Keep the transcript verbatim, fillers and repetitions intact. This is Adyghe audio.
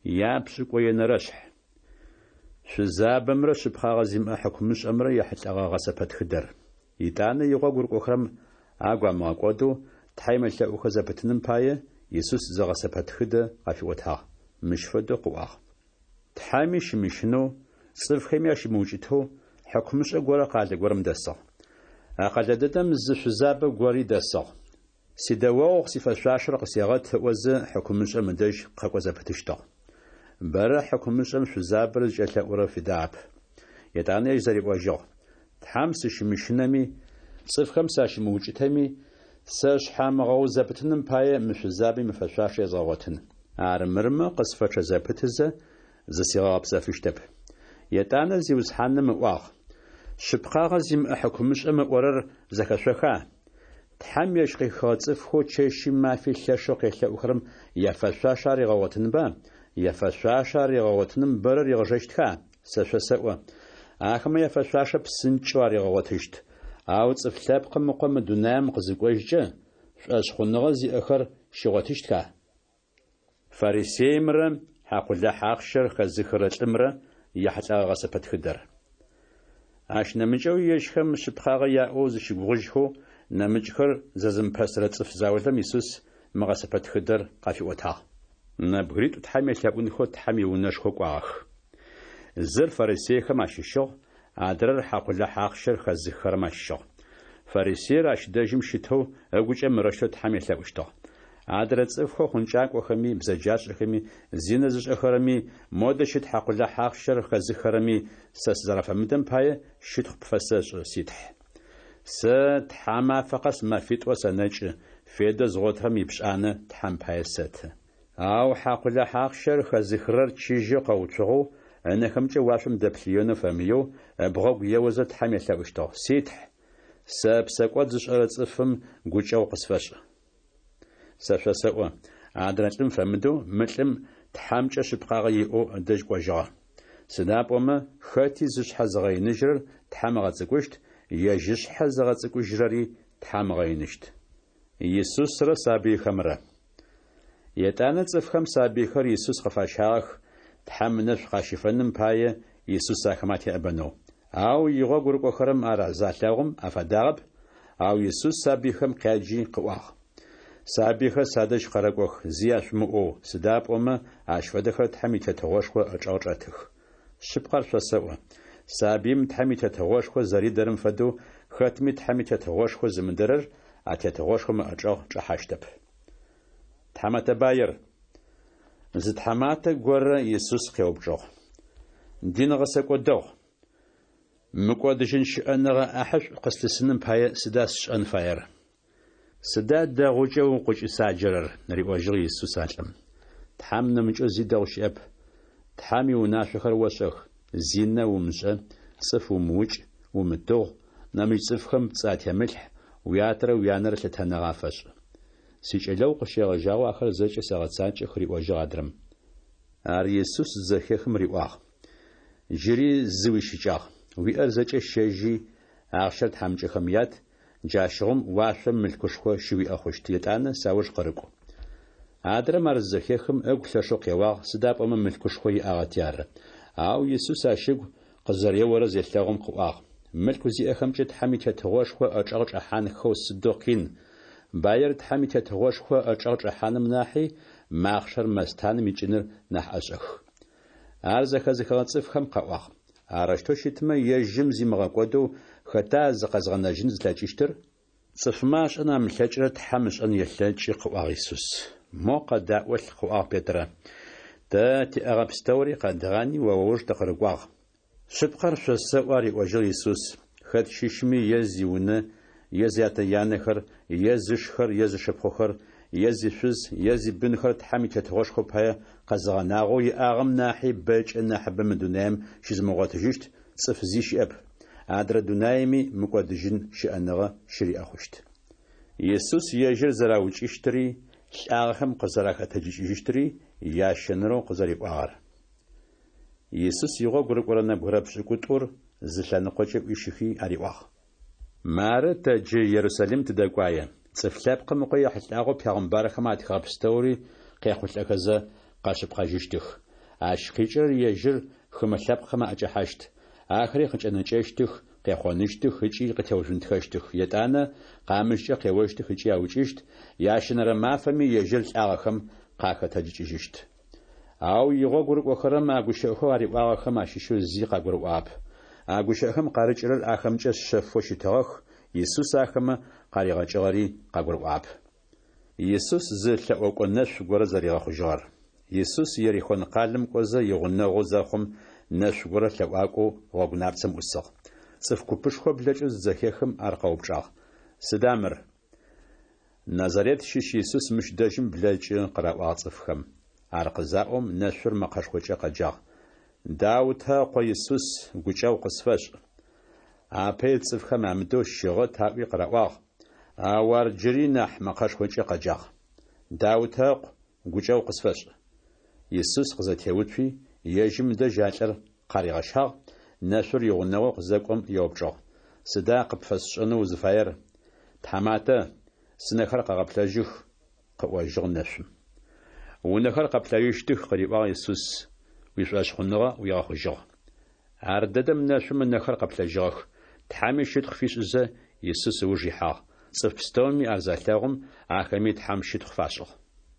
Япшӏыкӏуенэрэшъхь. Шъузабэмрэ шъыпкъагъэ зимыӏэ хьыкумышӏэмрэ яхьылӏэгъэ гъэсэпэтхыдэр. Етӏанэ игъогу рыкӏохэрэм агу амыгъэкӏодэу Тхьэм елъэӏухэ зэпытыным пае, Исус зы гъэсэпэтхыдэ къафиӏотагъ. Мыщ фэдэу къыӏуагъ: Тхьэми щымыщынэу, цӏыфхэми ащымыукӏытэу хьыкумышӏэ горэ къалэ горэм дэсыгъ. А къэлэ дэдэм зы шъузабэ гори дэсыгъ. Сидэогъу сифэшъуашэр къысегъэт ыӏозэ, хьыкумышӏэм ыдэжь къэкӏо зэпытыщтыгъ. Бэрэ хьыкумышӏэм шъузабэр зыкӏэлъэӏурэр фидагъэп. Етӏанэ ежь зэриӏожьыгъ: Тхьэм сыщымыщынэми, цӏыфхэм сащымыукӏытэми, сэ шъхьамыгъэуз зэпытыным пае мы шъузабэм ифэшъуашэ езгъэгъотын. Армырмэ къысфэчъэ зэпытызэ, зысигъэгъэпсэфыщтэп. Етӏанэ Зиусхьаным ыӏуагъ: Шъыпкъагъэ зимыӏэ хьыкумышӏэм ыӏорэр зэхэшъоха? Тхьэм ежь къыхихыгъэ цӏыфхэу чэщи мафи лъэшэу къелъэӏухэрэм яфэшъуашэ аригъэгъотынба? Яфэшъуашэ аригъэгъотыным бэрэ ригъэжэщтха? Сэ шъосэӏо: ахэмэ яфэшъуашэ псынкӏэу аригъэгъотыщт. Ау Цӏыф Лъэпкъым Ыкъо мы дунаем къызыкӏожькӏэ, шӏошъхъуныгъэ зиӏэхэр щигъотыщтха? Фарисеимрэ хьакъулахь ахъщэр хэзыхырэ лӏымрэ яхьылӏэгъэ гъэсэпэтхыдэр. Ащ нэмыкӏэуи ежьхэм шъыпкъагъэ яӏэу зыщыгугъыжьхэу нэмыкӏхэр зэзымыпэсырэ цӏыф заулэм Исус мы гъэсэпэтхыдэр къафиӏотагъ. Нэбгыритӏу Тхьэм елъэӏунхэу Тхьэм иунэшхо кӏуагъэх. Зыр фарисейхэм ащыщыгъ, адрэр хьакъулахь ахъщэр хэзыххэрэм ащыщыгъ. Фарисеир ащ дэжьым щытэу ыгукӏэ мырэущтэу Тхьэм елъэӏущтыгъ: Адрэ цӏыфхэу хъункӏакӏохэми, бзэджашӏэхэми, зинэ зышӏэхэрэми, модэ щыт хьакъулахь ахъщэр хэзыххэрэми сэ сызэрафэмыдэм пае щытхъу пфэсэшӏы, си Тхь. Сэ тхьамафэ къэс мэфитӏо сэнэкӏы, федэу згъотырэм ипшӏанэ Тхьэм пае сэты. Ау хьакъулахь ахъщэр хэзыхырэр чыжьэу къэуцугъэу, ынэхэмкӏэ уашъом дэплъыенэу фэмыеу, ыбгъэгу еозэ Тхьэм елъэӏущтыгъ: Си Тхь, сэ псэкӏод зышӏэрэ цӏыфым гукӏэгъу къысфэшӏ. Сэ шъосэӏо, адрэ лӏым фэмыдэу мы лӏым Тхьэмкӏэ шъыпкъагъэ иӏэу ыдэжь кӏожьыгъэ. Сыда пӏомэ, хэти зышъхьэ зыгъэиныжьырэр Тхьэм ыгъэцӏыкӏущт, ежь ышъхьэ зыгъэцӏыкӏужьырэри Тхьэм ыгъэиныщт. Исусрэ сабыйхэмрэ. Етӏанэ цӏыфхэм сабыйхэр Исус къыфащагъэх, Тхьэм ынэшӏу къащифэным пае Исус ахэмэ атеӏэбэнэу. Ау игъогу рыкӏохэрэм ар залъэгъум афадагъэп, ау Исус сабыйхэм къяджи къыӏуагъ: Сабыйхэр садэжь къэрэкӏох, зи яшъумыӏоу, сыда пӏомэ ащ фэдэхэр Тхьэм и Тетыгъошхо ычӏэгъ чӏэтых. Шъыпкъэр шъосэӏо, сабыим Тхьэм и Тетыгъошхо зэридэрэм фэдэу хэтми Тхьэм и Тетыгъошхо зымыдэрэр а Тетыгъошхом ыӏэчӏэгъ чӏэхьащтэп. Тхьамэтэ баир. Зы тхьаматэ горэ Исус къеупчӏыгъ: Дин гъэсэкӏо дэгъу, мыкӏодыжьын щыӏэныгъэ ӏахьышӏу къыслъысыным пае сыда сшӏэн фаер? Сыда дэгъукӏэ укъыкӏысаджэрэр? риӏожьыгъ Исус а лӏым. Тхьэм нэмыкӏэу зи дэгъу щыӏэп. Тхьэм иунашъохэр ошӏэх: зинэ умышӏэ, цӏыф умыукӏ, умытыгъу, нэмыкӏ цӏыфхэм пцӏы атемылъхь, уятэрэ уянэрэ лъытэныгъэ афэшӏ. Сикӏэлэгъу къыщегъэжьагъэу ахэр зэкӏэ сэгъэцакӏэх, риӏожьыгъ адрэм. Ар Исус зызэхехым риӏуагъ: Джыри зы уищыкӏагъ. Уиӏэр зэкӏэ щэжьи, ахъщэр тхьамыкӏэхэм ят, джащыгъум уашъом мылъкушхо щыуиӏэ хъущт, етӏанэ сауж къырыкӏу. Адрэм ар зызэхехым ыгу лъэшэу къеуагъ, сыда пӏомэ мылъкушхо иӏагъэти ары. Ау Исус ащ ыгу къызэреорэр зелъэгъум къыӏуагъ: Мылъку зиӏэхэмкӏэ Тхьэм и Тетыгъошхо ычӏэгъ чӏэхьанхэу сыдэу къин! Баир Тхьэм и Тетыгъошхо ычӏэгъ чӏэхьаным нахьи махъшэр мэстаным икӏыныр нахь ӏэшӏэх. Ар зэхэзыхыгъэ цӏыфхэм къаӏуагъ: Арэущтэу щытмэ, ежьым зимыгъэкӏодэу хэта зыкъэзгъэнэжьын зылъэкӏыщтыр? Цӏыфмэ ашӏэн амылъэкӏырэр Тхьэм ышӏэн елъэкӏы, къыӏуагъ Исус. Мо къэдаӏолъ, къыӏуагъ Петрэ. Тэ тиӏэгъэ пстэури къэдгъани о ыуж тыкъырыкӏуагъ. Шъыпкъэр шъосэӏо, ариӏожьыгъ Исус, хэт щыщми е зиунэ, е зятэ-янэхэр, е зышхэр, е зышыпхъухэр, е зишъуз, е зибынхэр Тхьэм и Тетыгъошхо пае къэзыгъэнагъэу иӏагъэм нахьи бэкӏэ нахьыбэ мы дунаим щызымыгъотыжьыщт цӏыф зи щыӏэп, адрэ дунаими мыкӏодыжьын щыӏэныгъэ щыриӏэ хъущт. Исус ежьыр зэраукӏыщтыри, лӏагъэхэм къызэрахэтэджыкӏыжьыщтыри ящэнэрэу къызэриӏуагъэр. Исус игъогу рыкӏорэ нэбгырэ пшӏыкӏутӏур зы лъэныкъокӏэ ӏуищыхи ариӏуагъ: Мары тэ джы Ерусалим тыдэкӏуае. Цӏыф Лъэпкъым Ыкъо ехьылӏагъэу пегъымбархэм атхыгъэ пстэури къехъулӏэхэзэ къэшъыпкъэжьыщтых. Ащ къикӏырэр ежьыр хымэ лъэпкъхэм аӏэкӏэхьащт. Ахэри къыкӏэнэкӏэщтых, къехъоныщтых ыкӏи къытеужъунтхэщтых. Етӏанэ къамыщкӏэ къеощтых ыкӏи аукӏыщт, ящэнэрэ мафэми ежьыр лӏагъэхэм къахэтэджыкӏыжьыщт. Ау игъогу рыкӏохэрэм а гущыӏэхэу ариӏуагъэхэм ащыщэу зи къагурыӏуагъэп. А гущыӏэхэм къарыкӏырэр ахэмкӏэ шъэфэу щытыгъэх, Исус ахэмэ къаригъэкӏыгъэри къагурыӏуагъэп. Исус зы лъэӏокӏо нэшъу горэ зэригъэхъужьыгъэр. Исус Ерихон къалэм кӏозэ игъунэгъу зэхъум, нэшъу горэ лъэӏуакӏоу гъогу напцэм ӏусыгъ. Цӏыф купышхо блэкӏэу зызэхехым, ар къэупчӏагъ: Сыда мыр? Назарет щыщ Исус мыщ дэжьым блэкӏы, къыраӏуагъ цӏыфхэм. Ар къызаӏом, нэшъур мэкъэшхокӏэ къэджагъ: Даутэ ыкъо Исус, гукӏэгъу къысфэшӏ! Апэ ит цӏыфхэм амыдэу щыгъэт аӏуи къыраӏуагъ, ау ар джыри нахь мэкъэшхокӏэ къэджагъ: Даутэ ыкъу, гукӏэгъу къысфэшӏ! Исус къызэтеуцуи, ежьым дэжь а лӏыр къаригъэщагъ, нэшъур игъунэгъоу къызэкӏом еупчӏыгъ: Сыда къыпфэсшӏэнэу узыфаер? Тхьаматэ, сынэхэр къэгъэплъэжьых, къыӏожьыгъ нэшъум. Унэхэр къэплъэжьыщтых, къыриӏуагъ Исус, уишӏошъхъуныгъэ уигъэхъужьыгъ. Ардэдэм нэшъум ынэхэр къэплъэжьыгъэх, Тхьэми щытхъу фишӏызэ, Исус ыуж ихьагъ. Цӏыф пстэуми ар залъэгъум, ахэми Тхьэм щытхъу фашӏыгъ.